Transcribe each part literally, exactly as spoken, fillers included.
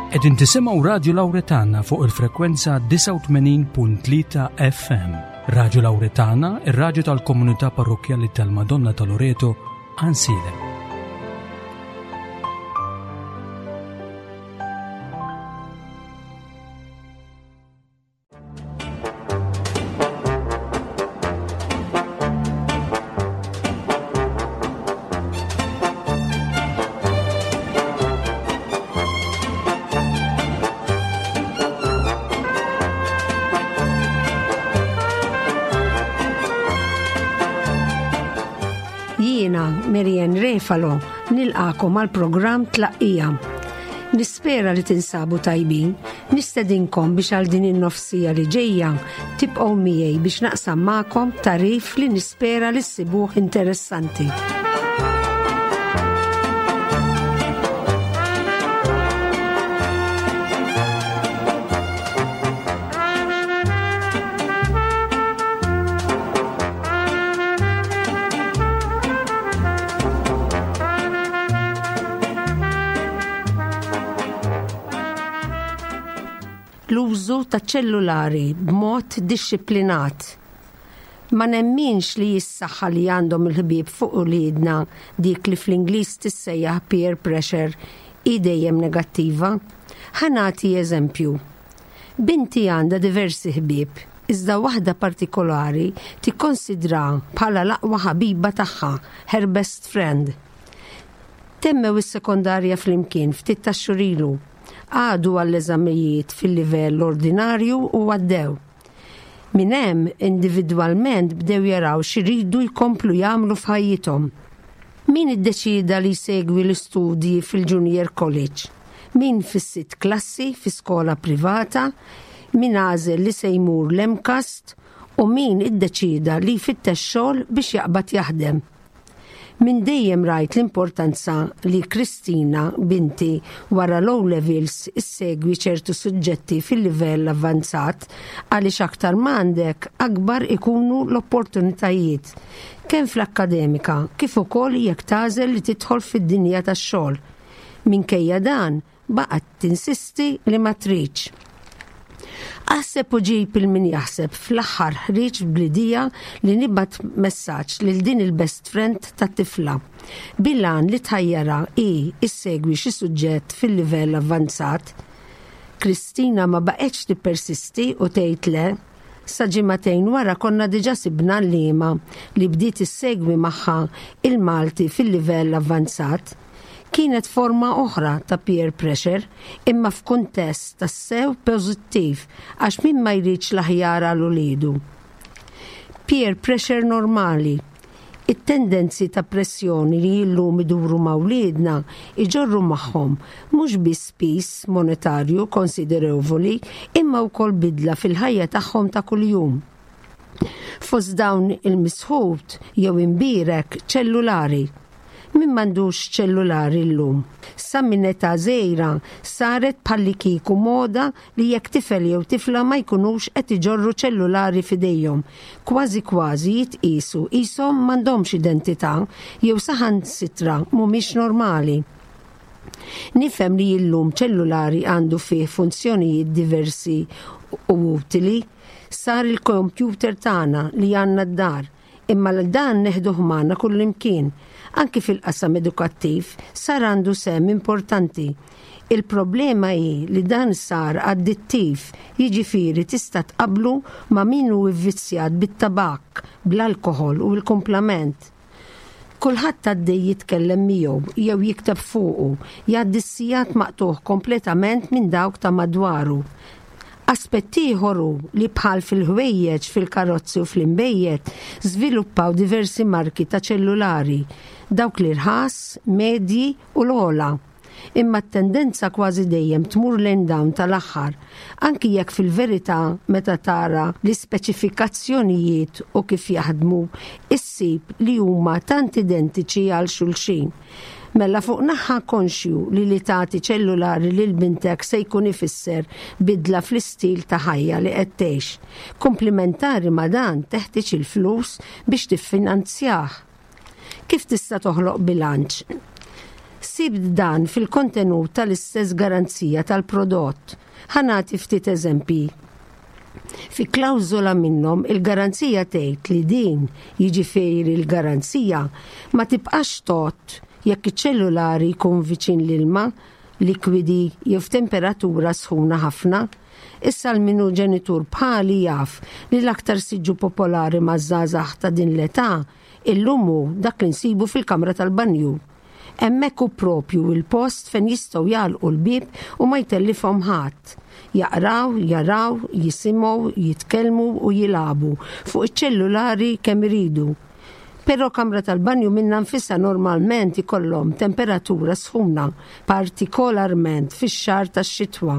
Qegħdin tisimgħu Radio Lauretana fuq il-frekwenza disgħa u tmenin punt tlieta F M. Radio Lauretana, ir-radju tal-komunità parrokkjali tal-Madonna ta' Loreto, Għajnsielem. Jiena, Marianne Refalo, nilqagħkom għal programm Tlaqqija. Nispera li tinsabu tajbin, nistedinkom biex għal din in-nofs siegħa li ġejja tibqgħu miegħi biex naqsam magħkom tagħrif li nispera li ssibuh interessanti. L-użu ta' ċellulari b'mod dixxiplinat. Ma nemminx li s-saħħa li għandhom il-ħbieb fuq uliedna, dik li fl-Ingliż tissejjaħ peer pressure, hi dejjem negattiva. Ħa nagħti eżempju. Binti għandha diversi ħbieb, iżda waħda partikolari tikkonsidra bħala l-aqwa ħabiba tagħha, her best friend. Temmew is-sekondarja flimkien ftit tax-xhur ilu, għaddu għall-eżamijiet fil-livell ordinarju u għaddew. Minn hemm individwalment bdew jaraw x'iridu jkomplu jagħmlu f'ħajjithom. Min iddeċida li jsegwi l-istudji fil-Junior College, min fis-sitt klassi fi skola privata, min għażel li se jmur l-MCAST u min iddeċida li jfittex xogħol biex jaqbad jaħdem. Minn dejjem rajt l-importanza li Kristina, binti, wara l-O levels issegwi ċertu suġġetti fil-livell avvanzat, għaliex aktar m'għandek akbar ikunu l-opportunitajiet kemm fl-akkademika kif ukoll jekk tagħżel li tidħol fid-dinja tax-xogħol. Minkejja dan, baqgħet tinsisti li ma tridx. Aħseb u ġib 'il min jaħseb, fl-aħħar ħriġt bl-idea li nibgħat messaġġ lil din il-best friend tat-tifla bil-għan li tħajjarha hi issegwi xi suġġett fil-livell avvanzat. Kristina ma baqgħetx tippersisti u tgħid le. Sa ġimagħtejn wara konna diġà sibna għalliema li bdiet issegwi magħha il-Malti fil-livell avvanzat. Kienet forma oħra ta' peer pressure, imma f'kuntest tassew pożittiv, għax min ma jridx l-aħjar għal uliedu? Peer pressure normali. It-tendenzi ta' pressjoni li illum iduru ma' wliedna iġorru magħhom mhux biss piż monetarju konsiderevoli, imma wkoll bidla fil-ħajja tagħhom ta' kuljum. Fost dawn il-misħut jew imbirek ċellulari. Min m'għandux ċellulari llum? Sa minn età żgħira saret bħallikieku moda li jekk tifel jew tifla ma jkunux qed iġorru ċellulari f'idejhom, kważi kważi jitqisu qishom m'għandhomx identità jew saħansitra mhumiex normali. Nifhem li illum ċellulari għandu fih funzjonijiet diversi u utili, sar il-kompjuter tagħna li għandna d-dar, imma l-dan neħduh magħna kullimkien. Anki fil-qasam edukattiv sar għandu sehem importanti. Il-problema hi li dan sar addittiv, jiġifieri tista' tqablu ma' min hu vvizzjat bit-tabak, bl-alkoħol u l-kumplament. Kulħadd għaddej jitkellem miegħu jew jikteb fuqu, jgħaddi s-sigħat maqtugħ kompletament minn dawk ta' madwaru. Aspett ieħor hu li bħal fil-ħwejjeġ, fil-karozzi u fl-imbejjed żviluppaw diversi marki ta' ċellulari, dawk li rħas, medji u l-ogħla. Imma t-tendenza kważi dejjem tmur lejn dawn tal-aħħar, anki jekk fil-verità meta tara l-ispeċifikazzjonijiet u kif jaħdmu, issib li huma tant identiċi għal xulxin. Mela fuq naħa konxju li li tagħti ċellulari lil bintek se jkun ifisser bidla fl-istil ta' ħajja li qed tgħix. Komplementari ma' dan, teħtieġ il-flus biex tiffinanzjah. Kif tista' toħloq bilanċ? Issib dan fil-kontenut tal-istess garanzija tal-prodott. Ħa nagħti ftit eżempji. Fi klawżola minnhom il-garanzija tgħid li din, jiġifieri l-garanzija, ma tibqax tgħodd jekk iċ-ċellulari jkun viċin l-ilma, likwidi jew f'temperatura sħuna ħafna. Issa l min hu ġenitur bħali jaf li l-aktar siġġu popolari maż-żgħażagħ ta' din l-età illum hu dak li nsibu fil-kamra tal-banju. Hemmhekk hu propju il-post fejn jistgħu jagħlqu l-bieb u ma jtellifhom ħadd. Jaqraw, jaraw, jisimgħu, jitkellmu u jilagħbu fuq iċ-ċellulari kemm iridu. Però kamra tal-banju minnha nfisha normalment ikollhom temperatura sħuna, partikolarment fix-xahar tax-xitwa,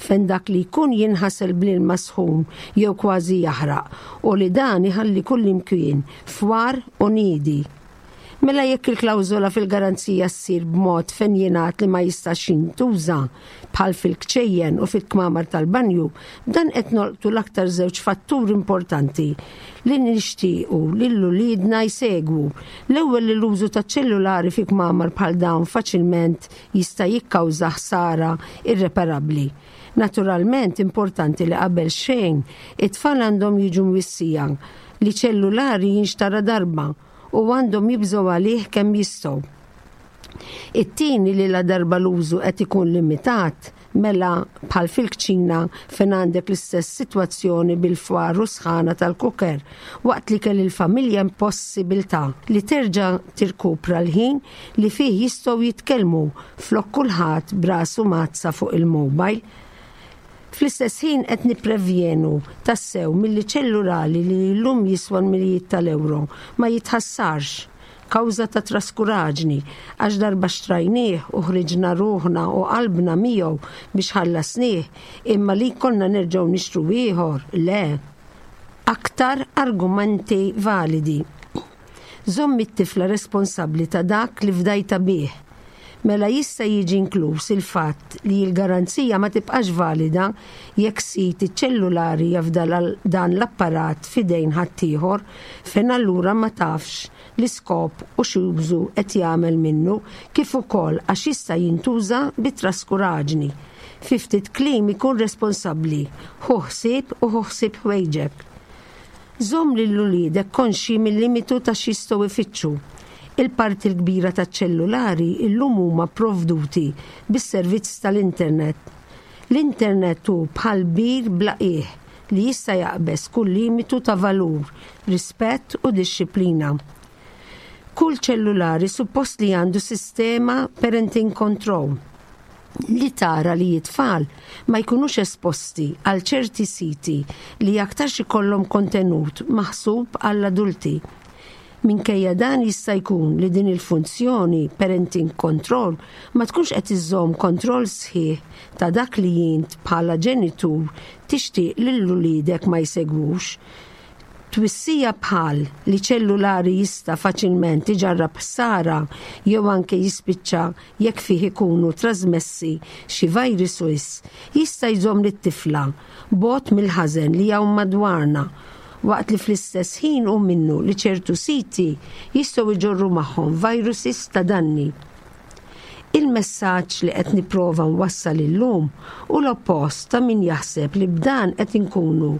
fejn dak li jkun jinħasel bl-ilma sħun jew kważi jaħraq u li dan iħalli kullimkien fwar u nidi. Mela jekk il-klawżola fil-garanzija ssir b'mod fejn jingħad li ma jistax jintuża bħal fil-kċejjen u fil-kmamar tal-banju, dan qed nolqtu l-aktar żewġ fatturi importanti li nixtiequ lil uliedna jsegwu. L-ewwel li l-użu ta' ċellulari fi kmamar bħal dawn faċilment jista' jikkawża ħsara irreparabbli. Naturalment importanti li qabel xejn it-tfal għandhom jiġu mwissija li ċellulari jinxtara darba u għandhom jibżgħu għalih kemm jistgħu. It-tieni li la darba l-użu qed ikun limitat, mela bħal fil-kċina fejn għandek l-istess sitwazzjoni bil-fwar u sħana tal-kuker, waqt li kell il-familja impossibilità li terġa' tirkupra l-ħin li fih jistgħu jitkellmu flok kulħadd b'rasu mazza fuq il-mobile. Fl-istess ħin qed nipprevjenu tassew milli ċellulari li llum jiswa mijiet tal-ewro ma jitħassarx kawża ta' traskuraġni għax darba xtrajnieh u ħriġna ruħna u qalbna miegħu biex ħallasnieh, imma li konna nerġgħu nixtru ieħor le. Aktar argumenti validi. Żomm it-tifla responsabbli ta' dak li fdajta bih. Mela jista' jiġi inkluż il-fatt li l-garanzija ma tibqax valida jekk sid iċ-ċellulari jafda dan l-apparat f'idejn ħaddieħor fejn allura ma tafx l-iskop u x'użu qed jagħmel minnu kif ukoll għax jista' jintuża bi traskuraġni. Fi ftit kliem ikun responsabbli, ħu ħsieb u ħu ħsieb ħwejġek. Żomm lil uliedek konxji mill-limitu ta' x'jistgħu jfittxu. Il-parti l-kbira taċ-ċellulari illum huma provduti bis-servizz tal-internet. L-internet hu bħal bir bla qiegħ li jista' jaqbeż kull limitu ta' valur, rispett u dixxiplina. Kull ċellulari suppost li għandu sistema parenting control li tara li it-tfal ma jkunux esposti għal ċerti siti li aktarx ikollhom kontenut maħsub għall-adulti. Minkejja dan jista' jkun li din il-funzjoni parenting control ma tkunx qed iżżomm kontroll sħiħ ta' dak li int bħala ġenitur tixtieq lil uliedek ma jsegwux. Twissija bħal li ċellulari jista' faċilment iġarrab ħsara jew anke jispiċċa jekk fih ikunu trasmessi xi viruses jista' jżomm lit-tifla bogħod mill-ħażen li hawn madwarna, waqt li fl-istess ħin hu minnu li ċertu siti jistgħu jġorru magħhom viruses ta' danni. Il-messaġġ li qed nipprova nwassal illum hu l-oppost ta' min jaħseb li b'dan qed inkunu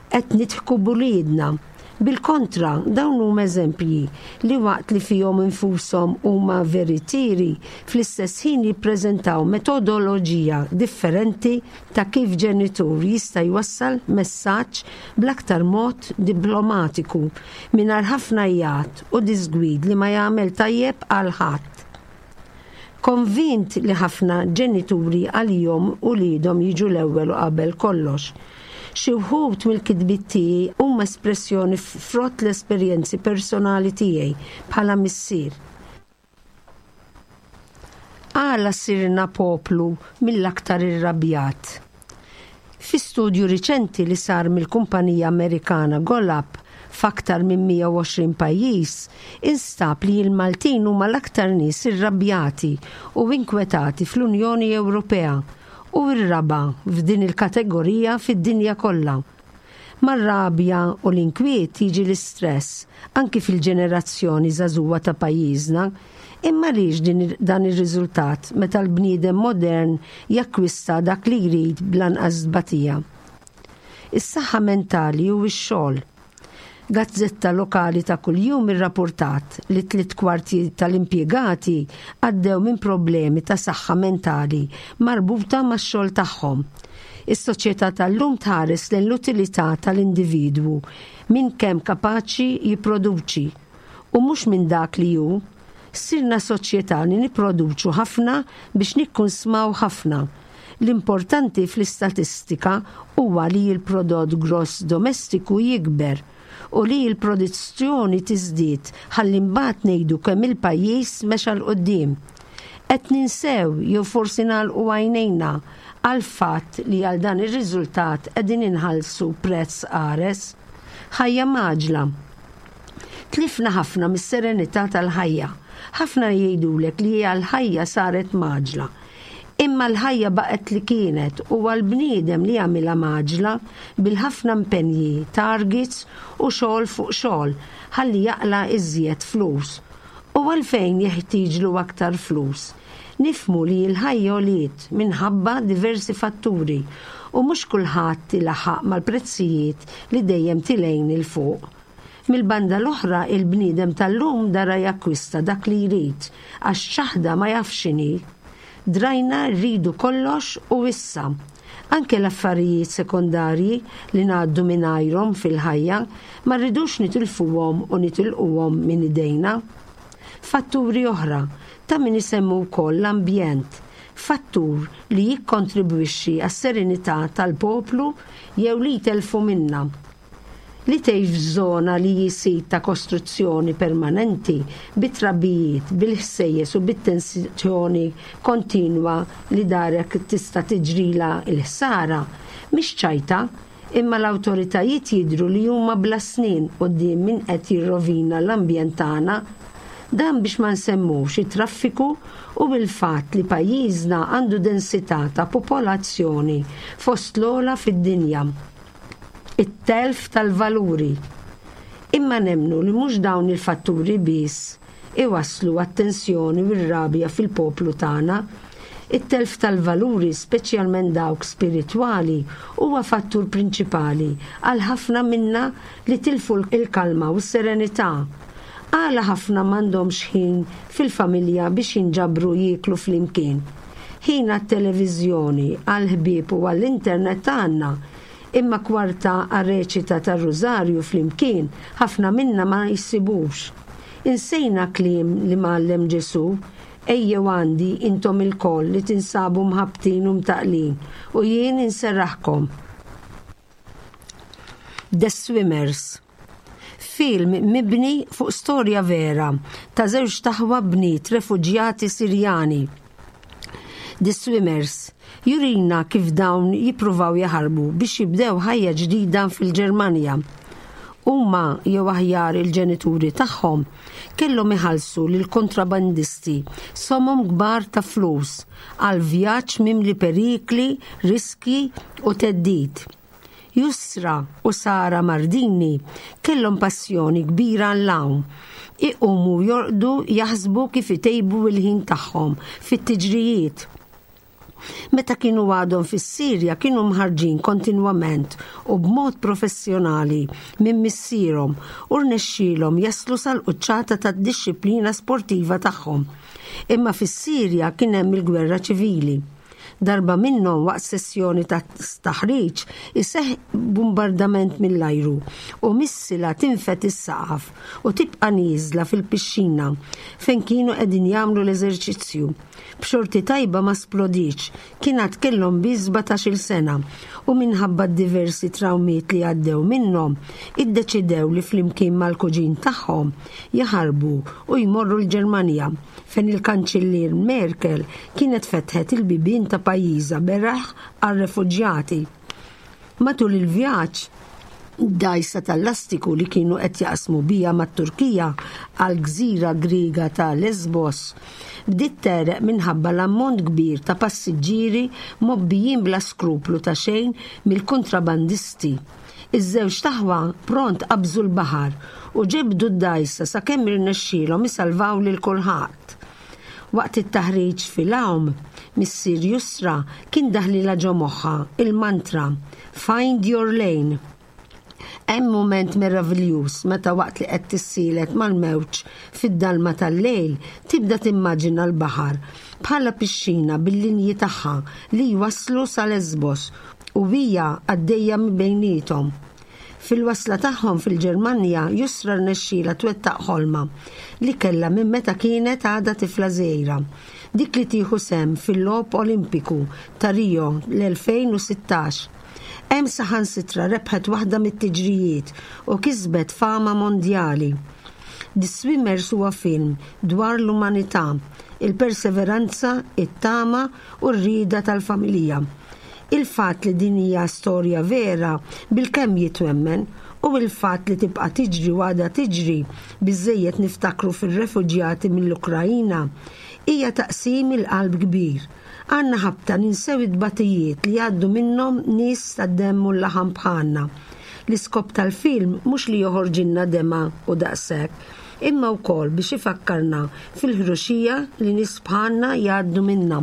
qed nidħku b'uliedna. Bil-kontra, dawn huma eżempji li waqt li fihom infushom huma veritieri, fl-istess ħin jippreżentaw metodoloġija differenti ta' kif ġenitur jista' jwassal messaġġ bl-aktar mod diplomatiku mingħajr ħafna għajat u disgwid li ma jagħmel tajjeb għal ħadd. Konvint li ħafna ġenituri għalihom uliedhom jiġu l-ewwel u qabel kollox. Xi wħud mill-kitbiet tiegħi huma espressjoni frott l-esperjenzi personali tiegħi bħala missier. Għala sirna poplu mill-aktar irrabjat. Fi studju riċenti li sar mill-kumpanija Amerikana Gallup f'aktar minn mija u għoxrin pajjiż, instab li l-Maltin huma l-aktar nies irrabjati u inkwetati fl-Unjoni Ewropea u r-raba' f'din il-kategorija fid-dinja kollha. Mar-rabja u l-inkwiet jiġi l-istress anki fil-ġenerazzjoni żagħżugħa ta' pajjiżna. Imma għaliex din, dan ir-riżultat meta l-bniedem modern jakkwista dak li jrid bl-anqas tbatija? Is-saħħa mentali u x-xogħol. Gazzetta lokali ta' kuljum irrapportat li tliet kwarti tal-impjegati għaddew minn problemi ta' saħħa mentali marbuta max-xogħol tagħhom. Is-soċjetà tal-lum tħares lejn l-utilità tal-individwu minn kemm kapaċi jipproduċi u mhux minn dak li hu. Sirna soċjetà li nipproduċu ħafna biex nikkunsmaw ħafna. L-importanti fl-istatistika huwa li l-prodott gross domestiku jikber u li l-produzzjoni tiżdied ħalli mbagħad ngħidu kemm il-pajjiż mexa 'l quddiem. Qed ninsew jew forsi nagħlqu għajnejna għal fatt li għal dan ir-riżultat qegħdin inħallsu prezz qares. Ħajja mgħaġġla. Tlifna ħafna mis-serenità tal-ħajja. Ħafna jgħidulek li l-ħajja saret mgħaġġla. Imma l-ħajja baqgħet li kienet u għal-bniedem li għamilha mgħaġġla bil-ħafna impenji, targets u xogħol fuq xogħol ħalli jaqla' iżjed flus. U għalfejn jeħtieġlu aktar flus. Nifhmu li l-ħajja għoliet minħabba diversi fatturi u mhux kulħadd ilaħħaq mal-prezzijiet li dejjem telgħin 'il fuq. Mill-banda l-oħra, il-bniedem tal-lum dara jakkwista dak li jrid għax ċaħda ma jafx x'inhi. Drajna rridu kollox u issa. Anke l-affarijiet sekondarji li ngħaddu mingħajrhom fil-ħajja ma rridux nitilfuhom u nitilquhom minn idejna. Fatturi oħra ta' min isemmu wkoll l-ambjent, fattur li jikkontribwixxi għas-serenità tal-poplu jew li jtelfu minna. Li tgħix f'żona li hi sit ta' kostruzzjoni permanenti bit-trabijiet, bil-ħsejjes u bit-tensjoni kontinwa li darek tista' tiġrila l-ħsara, mhix ċajta, imma l-awtoritajiet jidhru li huma bla snien quddiem min qed jirrovina l-ambjent tagħna. Dan biex ma nsemmux it-traffiku u bil-fatt li pajjiżna għandu densità ta' popolazzjoni fost l-ogħla fid-dinja. It-telf tal-valuri. Imma nemmnu li mhux dawn il-fatturi biss iwasslu għat-tensjoni u r-rabja fil-poplu tagħna. It-telf tal-valuri, speċjalment dawk spiritwali, huwa fattur prinċipali għal ħafna minna li tilfu l-kalma u s-serenità. Għala ħafna m'għandhomx ħin fil-familja biex jinġabru jieklu flimkien. Ħin għat-televiżjoni, għall-ħbieb u għall-internet għandna, imma kwarta għar-reċita tar-Rużarju flimkien ħafna minna ma jsibux. Insejna kliem li mgħallem Ġesù, ejjew għandi intom ilkoll li tinsabu mħabbtin u mtaqqlin u jien inserraħkom. The Swimmers. Film mibni fuq storja vera ta' żewġ aħwa bniet refuġjati Sirjani. The Swimmers jurina kif dawn jippruvaw jaħarbu biex jibdew ħajja ġdida fil-Ġermanja. Huma jew aħjar il-ġenituri tagħhom kellhom iħallsu lil kontrabandisti somom kbar ta' flus għal vjaġġ mimli perikli, riski u theddid. Yusra u Sara Mardini kellhom passjoni kbira għall-għawm. Iqumu jorqdu jaħsbu kif itejbu il-ħin tagħhom fit-tiġrijiet. Meta kienu għadhom fis-Sirja kienu mħarrġin kontinwament u b'mod professjonali minn missierhom u rnexxielhom jaslu sal-quċċata tad-dixxiplina sportiva tagħhom. Imma fis-Sirja kien hemm il-gwerra ċivili. Darba minnhom waqt sessjoni ta' taħriġ iseħħ bombardament mill-ajru u missila tinfed is-saqaf u tibqa' nieżla fil-pixxina fejn kienu qegħdin jagħmlu l-eżerċizzju. B'xorti tajba ma splodiċ, kien għad kellhom biss sbatax-il sena u minħabba diversi trawmiet li għaddew minnhom, iddeċidew li flimkien mal-kuġin tagħhom jaħarbu u jmorru l-Ġermanja fejn il-Kanċillier Merkel kienet fetħet il-bibien ta' pajjiżha beraħ għar-refuġjati. Matul il-vjaġġ, dgħajsa tal-lastiku li kienu qed jaqsmu bija mat-Turkija għal gżira Griega ta' Lesbos bdiet tegħreq minħabba l-ammont kbir ta' passiġġieri mgħobbijin bla skruplu ta' xejn mill-kontrabandisti. Iż-żewġ aħwa pront qabżu l-baħar u ġebdu d-dgħajsa sakemm irnexxielhom isalvaw lil kulħadd. Waqt it-taħriġ fil-għawm, missier Yusra kien daħlilha ġo moħħha il-mantra "Find your lane". Hemm mument meraviljuż meta waqt li qed tissielet mal-mewġ fid-dalma tal-lejl tibda timmaġina l-baħar bħala pixxina bil-linji tagħha li jwasslu sa Lesbos u hija għaddejja minn bejniethom. Fil-wasla tagħhom fil-Ġermanja, Yusra rnexxielha twettaq ħolma li kellha minn meta kienet għadha tifla żgħira. Dik li tieħu sehem fil-Logħob Olimpiku ta' Rio l-elfejn u sittax. Hemm saħansitra rebħet waħda mit-tiġrijiet u kisbet fama mondjali. The Swimmers huwa film dwar l-umanità, il-perseveranza, it-tama u r-rieda tal-familja. Il-fatt li din hija storja vera bilkemm jitwemmen u il-fatt li tibqa' tiġri u għadha tiġri, biżejjed niftakru fir-refuġjati mill-Ukrajina, hija taqsim il-qalb kbir. Għandna ħabta ninsew id-batijiet li għaddu minnhom nies tad-demm u l-laħam bħalna. L-iskop tal-film mhux li joħorġilna demgħa u daqshekk, imma wkoll biex ifakkarna fil-ħruxija li nies bħalna jgħaddu minnha.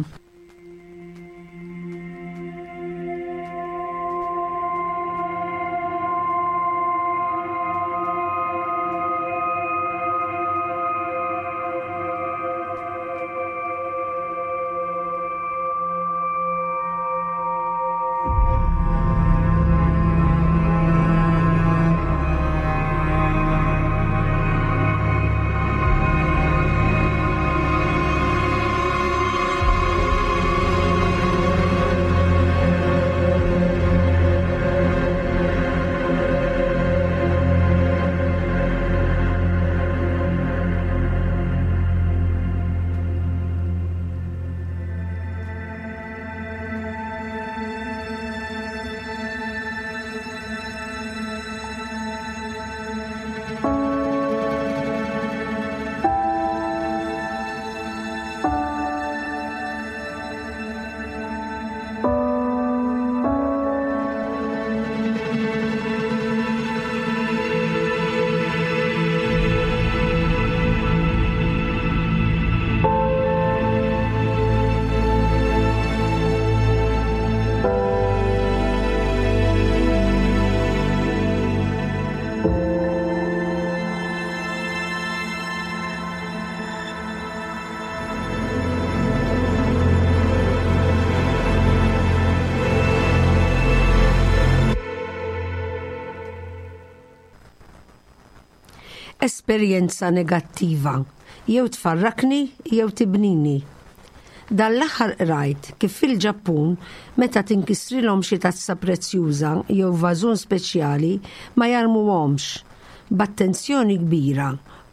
Esperjenza negattiva jew tfarrakni jew tibnini. Dan l-aħħar qrajt kif fil-Ġappun meta tinkisrilhom xi tazza prezzjuża jew vażun speċjali ma jarmuhomx. B'attenzjoni kbira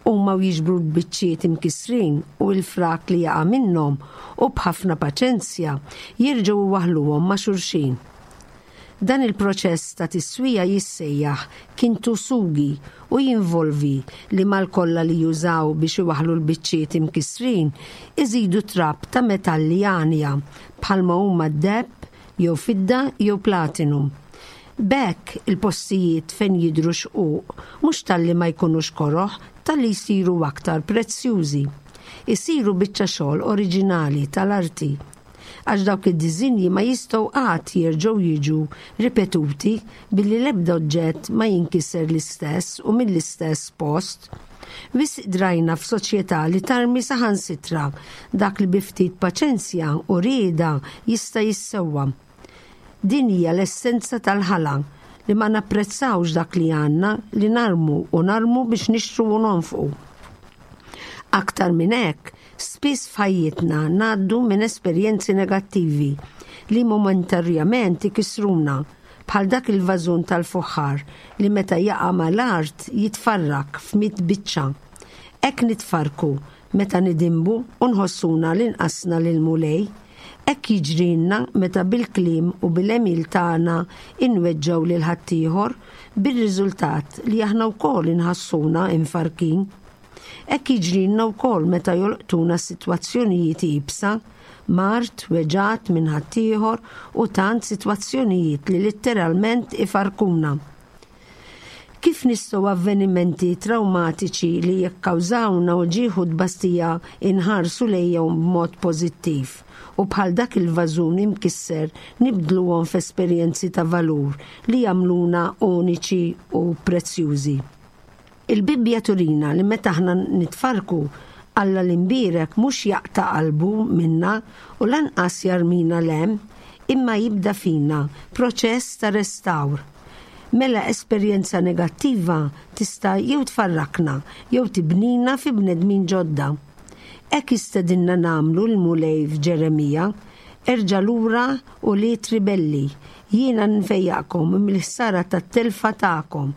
huma jiġbru l-biċċiet imkisrin u l-frak li jaqa' minnhom u b'ħafna paċenzja jerġgħu waħluhom ma' xulxin. Dan il-proċess ta' tiswija jissejjaħ kintsugi u jinvolvi li mal-kolla li jużaw biex iwaħlu l-biċċiet imkisrin iżidu trab ta' metalli għanja bħalma huma deheb jew fidda jew platinum. B'hekk il-postijiet fejn jidru xquq mhux talli ma jkunux koroħ, talli jsiru aktar prezzjużi. Isiru biċċa xogħol oriġinali tal-arti, għax dawk id-diżinji ma jistgħu qatt jerġgħu jiġu ripetuti billi l-ebda oġġett ma jinkiser l-istess u mill-istess post. Wisq drajna f'soċjetà li tarmi saħansitra dak li bi ftit paċenzja u rieda jista' jissewwa. Din hija l-essenza tal-ħala, li ma napprezzawx dak li għandna, li narmu u narmu biex nixtru u nonfqu. Aktar minn hekk, spiss f'ħajjitna ngħaddu minn esperjenzi negattivi li momentarjament ikissruna, bħal dak il-vażun tal-fuħħar li meta jaqa' mal-art jitfarrak f'mitt biċċa. Hekk nitfarku meta nidinbu u nħossuna li nqasna lil Mulej. Hekk jiġrilna meta bil-kliem u bil-għemil tagħna inweġġgħu lil ħaddieħor, bir-riżultat li aħna wkoll inħassuna imfarkin. Hekk jiġrilna wkoll meta jolqtuna sitwazzjonijiet iebsa, mard, weġgħat minn ħaddieħor u tant sitwazzjonijiet li litteralment ifarkuna. Kif nistgħu avvenimenti traumatiċi li jikkawżawna uġigħ u tbastija inħarsu lejhom b'mod pożittiv u bħal dak il-vażun imkisser nibdluhom f'esperjenzi ta' valur li jagħmluna uniċi u prezzjużi? Il-Bibbja turina li meta aħna nitfarku, Alla l-imbierek mhux jaqta' qalbu minna u lanqas jarmina 'l hemm, imma jibda fina proċess ta' restawr. Mela esperjenza negattiva tista' jew tfarrakna jew tibnina fi bnedmin ġodda. Hekk jistedinna nagħmlu l-Mulej f'Ġeremija: "Erġa' lura, ulied ribelli, jiena nfejjaqkom mill-ħsara tat-telfa tagħkom."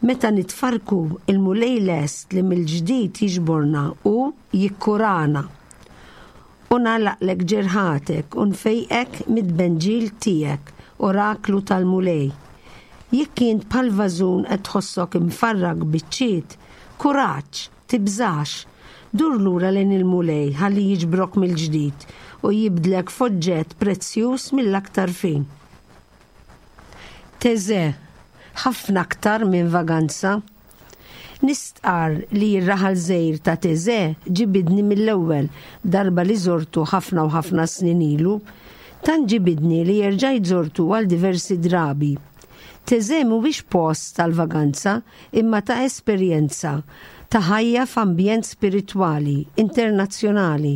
Meta nitfarku, il-Mulej lest li mill-ġdid jiġborna u jikkurana. "U nagħlaqlek ġerħatek u nfejqek mid-benġil tiegħek", oraklu tal-Mulej. Jekk int bħal vażun qed tħossok imfarrak biċċiet, kuraġġ, tibżax, dur lura lejn il-Mulej ħalli jiġbrok mill-ġdid u jibdlek f'oġġett prezzjuż mill-aktar fin. Taizé, ħafna aktar minn vaganza. Nistqar li r-raħal żgħir ta' Taizé ġibidni mill-ewwel darba li żortu ħafna u ħafna snin ilu, tant ġibidni li erġajt żortu għal diversi drabi. Taizé mhuwiex post tal-vaganza, imma ta' esperjenza ta' ħajja f'ambjent spiritwali internazzjonali.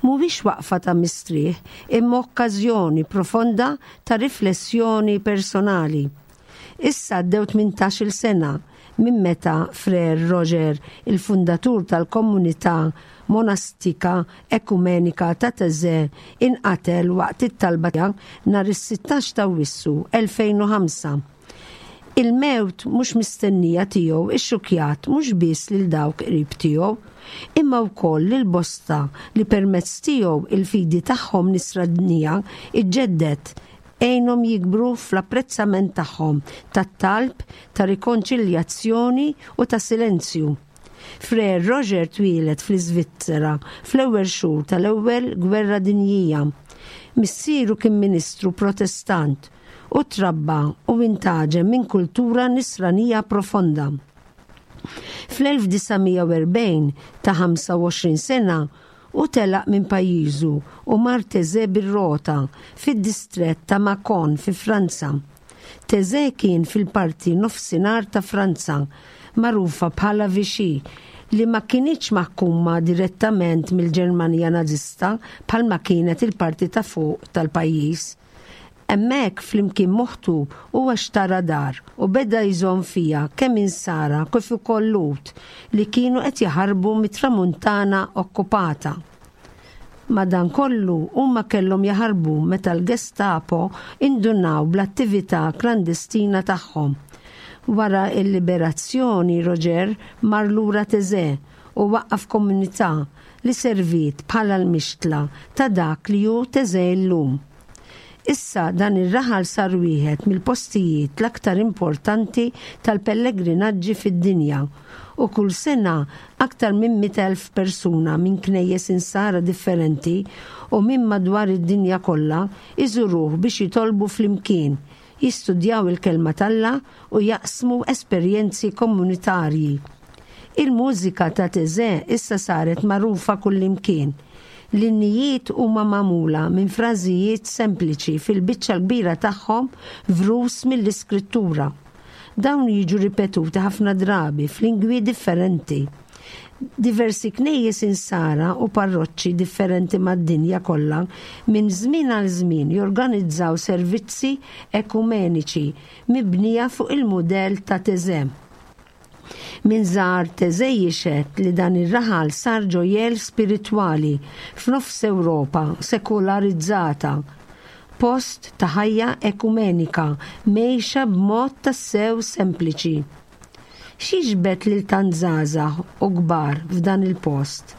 Mhuwiex waqfa ta' mistrieħ, imma okkażjoni profonda ta' riflessjoni personali. Issa għaddew tmintax-il sena minn meta Frère Roger, il-fundatur tal-komunità monastika ekumenika ta' Taizé, inqatel waqt it-talba nhar is-sittax ta' Awwissu elfejn u ħamsa. Il-mewt mhux mistennija tiegħu ixxukjat mhux biss lil dawk qrib tiegħu, imma wkoll lil bosta li permezz tiegħu il-fidi tagħhom nisranija iġġeddet, għenhom jikbru fl-apprezzament tagħhom tat-talb, ta' rikonċiljazzjoni u ta' silenzju. Frère Roger twieled fl-Iżvizzera fl-ewwel xhur tal-Ewwel Gwerra Dinjija. Missieru kien ministru Protestant u trabba u intaġen minn kultura nisranija profonda. Fl-elf disa' mija u erbgħin, ta' ħamsa u għoxrin sena, u telaq minn pajjiżu u mar Taizé bir-rota fid-distrett ta' Mâcon fi Franza. Taizé kien fil-parti nofsinhar ta' Franza, magħrufa bħala Vichy, li ma kinitx maħkuma direttament mill-Ġermanja Nazista bħalma kienet il-parti ta' fuq tal-pajjiż. Hemmhekk, flimkien m'oħtu, huwa xtara dar u beda jżomm fija kemm insara kif ukoll Lhud li kienu qed jaħarbu mit-tramuntana okkupata. Madankollu, huma kellhom jaħarbu meta l-Gestapo indunaw bl-attività klandestina tagħhom. Wara il-liberazzjoni, Roger mar lura Taizé u waqqaf komunità li servit bħala l-mixtla ta' dak li hu Taizé llum. Issa dan ir-raħal sar wieħed mill-postijiet l-aktar importanti tal-pellegrinaġġi fid-dinja u kull sena aktar minn mitt elf persuna minn knejjes insara differenti u minn madwar id-dinja kollha iżuruh biex jitolbu flimkien, jistudjaw il-kelma t'Alla u jaqsmu esperjenzi komunitarji. Il-mużika ta' Taizé issa saret magħrufa kullimkien. L-innijiet huma magħmula minn frażijiet sempliċi, fil-biċċa l-kbira tagħhom vrus mill-iskrittura. Dawn jiġu ripetuti ħafna drabi f'lingwi differenti. Diversi knejjes insara u parroċċi differenti mad-dinja kollha minn żmien għal żmien jorganizzaw servizzi ekumeniċi mibnija fuq il-mudell ta' Taizé. Min żar Taizé jixhed li dan ir-raħal sar ġojjel spiritwali f'nofs Ewropa sekularizzata, post ta' ħajja ekumenika mgħejxa b'mod tassew sempliċi. X'jiġbed lil tant żgħażagħ u kbar f'dan il-post?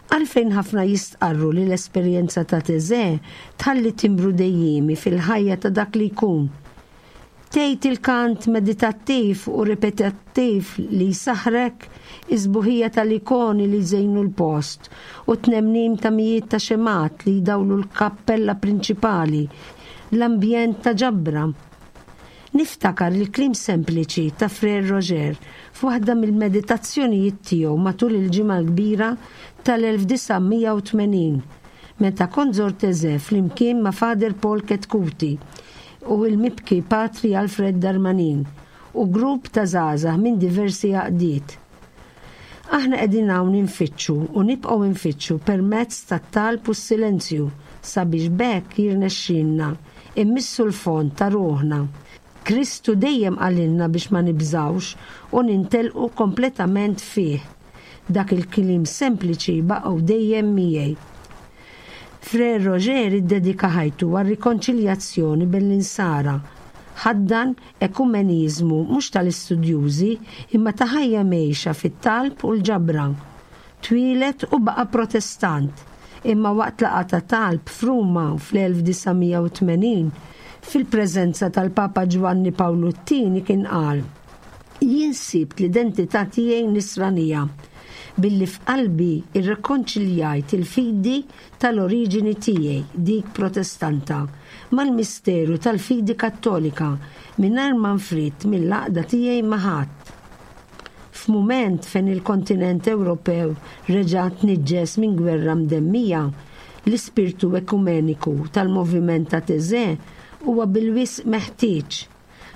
Għalfejn ħafna jistqarru li l-esperjenza ta' Taizé tħalli timbru dejjimi fil-ħajja ta' dak li jkun? Tgħid il-kant meditattiv u ripetattiv li jsaħrek, is-sbuħija tal-ikoni li żejnu l-post u tnemnim ta' mijiet ta' xemgħat li jdawlu l-kappella prinċipali, l-ambjent ta' ġabra? Niftakar il-kliem sempliċi ta' Frère Roger f'waħda mill-meditazzjonijiet tiegħu matul il-Ġimgħa l-Kbira tal-elf disa' mija u tmenin, meta kont żort Taizé flimkien ma' Father Paul Chetcuti u il-mibki Patri Alfred Darmanin u grupp ta' żgħażagħ minn diversi għaqdiet. Aħna qegħdin hawn infittxu u nibqgħu nfittxu permezz tat-talb u s-silenzju sabiex b'hekk jirnexxilna immissu l-fond ta' ruħna. Kristu dejjem qalilna biex ma nibżawx u nintelqu kompletament fih. Dak il-kliem sempliċi baqgħu dejjem miegħi. Frère Roger iddedika ħajtu għar-rikonċiljazzjoni bejn l-insara. Ħaddan ekumenizmu mhux tal-istudjużi, imma ta' ħajja mgħejxa fit-talb u l-ġabra. Twieled u baqa' Protestant, imma waqt laqgħa ta' talb f'Ruma fl-elf disa' mija u tmenin fil-preżenza tal-Papa Ġwanni Pawlu t-Tieni kien qal: "Jien sibt l-identità tiegħi nisranija billi f'qalbi irrekonċiljajt il-fidi tal-oriġini tiegħi, dik Protestanta, mal-misteru tal-fidi Kattolika, mingħajr ma nfridt mill-għaqda tiegħi ma' ħadd." F'mument fejn il-kontinent Ewropew reġa' tniġġes minn gwerra mdemmija, l-ispirtu ekumeniku tal-moviment ta' Taizé huwa bil-wisq meħtieġ.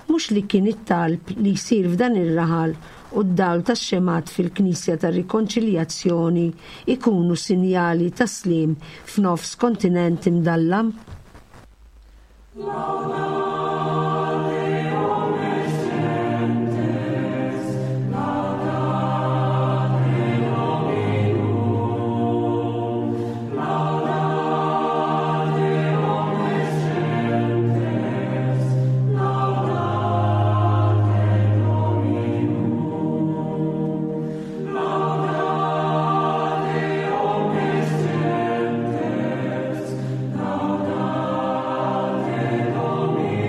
Mhux li kien it-talb li jsir f'dan ir-raħal u d-dawl tax-xemgħat fil-Knisja tar-Rikonċiljazzjoni ikunu sinjali ta' slim f'nofs kontinent imdallam? Laudate omnes gentes, laudate Dominum. Laudate omnes gentes, laudate Dominum. Laudate omnes gentes, laudate Dominum.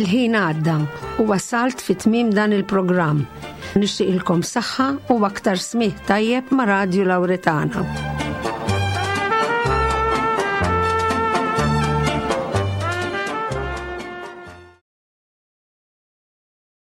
Il-ħin għadda u wasalt fi tmiem dan il-programm. Nixtieqilkom saħħa u aktar smigħ tajjeb ma' Radju Lauretana.